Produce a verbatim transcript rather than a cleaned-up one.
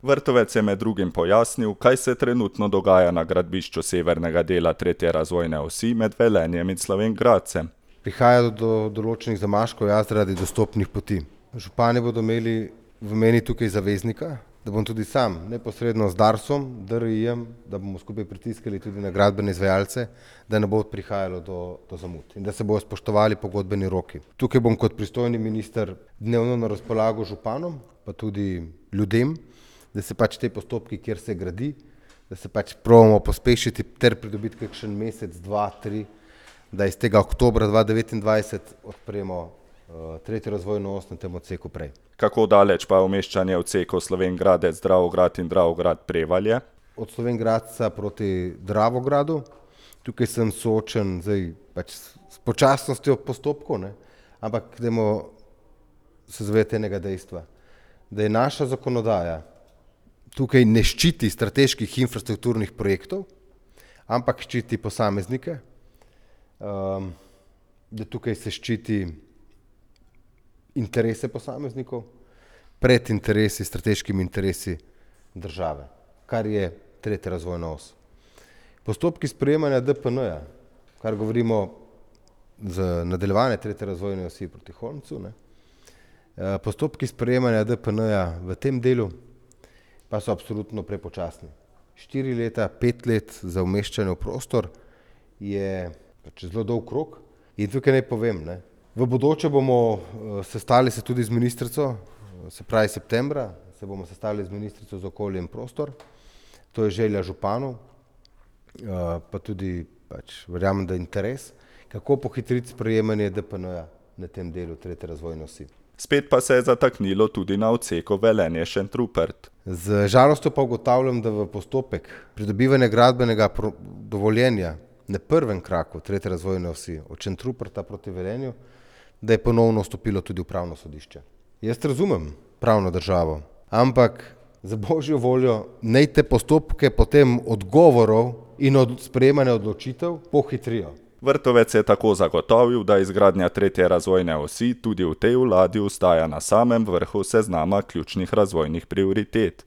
Vrtovec je med drugim pojasnil, kaj se trenutno dogaja na gradbišču severnega dela tretje razvojne osi med Velenjem in Slovenj Gradcem. Prihaja do določenih zamaškov ja, zaradi dostopnih poti. Župani bodo imeli v meni tukaj zaveznika, da bom tudi sam neposredno z Darsom, D R I-jem, da bomo skupaj pritiskali tudi na gradbene izvajalce, da ne bo prihajalo do, do zamud in da se bodo spoštovali pogodbeni roki. Tukaj bom kot pristojni minister dnevno na razpolago županom, pa tudi ljudem, da se pač te postopki, kjer se gradi, da se pač probamo pospešiti ter pridobiti kakšen mesec, dva, tri, da iz tega oktobra dva devetindvajset odpremo uh, tretjo razvojno os na tem odseku prej. Kako daleč pa je umeščanje odsekov Slovenj Gradec, Dravograd in Dravograd Prevalje? Od Slovenj Gradca proti Dravogradu, tukaj sem soočen zdaj, pač s počasnostjo postopkov, ne? Ampak dajmo se zavedati enega dejstva, da je naša zakonodaja tukaj ne ščiti strateških infrastrukturnih projektov, ampak ščiti posameznike, um, da tukaj se ščiti interese posameznikov pred interesi, strateškimi interesi države, kar je tretja razvojna os. Postopki sprejemanja D P N-ja, kar govorimo z nadaljevanje tretje razvojne osi proti Holmcu, ne, postopki sprejemanja D P N-ja v tem delu pa so absolutno prepočasni. Štiri leta, pet let za umeščanje v prostor je pač zelo dolg rok in tukaj naj povem, ne, v bodoče bomo sestali se tudi z ministrico, se pravi septembra, se bomo sestali z ministrico za okolje in prostor, to je želja županov, pa tudi pač verjamem, da interes, kako pohitriti sprejemanje D P N-ja na tem delu tretje razvojne osi. Spet pa se je zataknilo tudi na odseku Velenje-Šentrupert. Z žalostjo pa ugotavljam, da v postopek pridobivanja gradbenega dovoljenja na prvem kraku tretje razvojne osi od Šentruperta proti Velenju, da je ponovno vstopilo tudi upravno sodišče. Jaz razumem pravno državo, ampak za božjo voljo naj te postopke potem odgovorov in od sprejemanja odločitev pohitrijo. Vrtovec je tako zagotovil, da izgradnja tretje razvojne osi tudi v tej vladi ostaja na samem vrhu seznama ključnih razvojnih prioritet.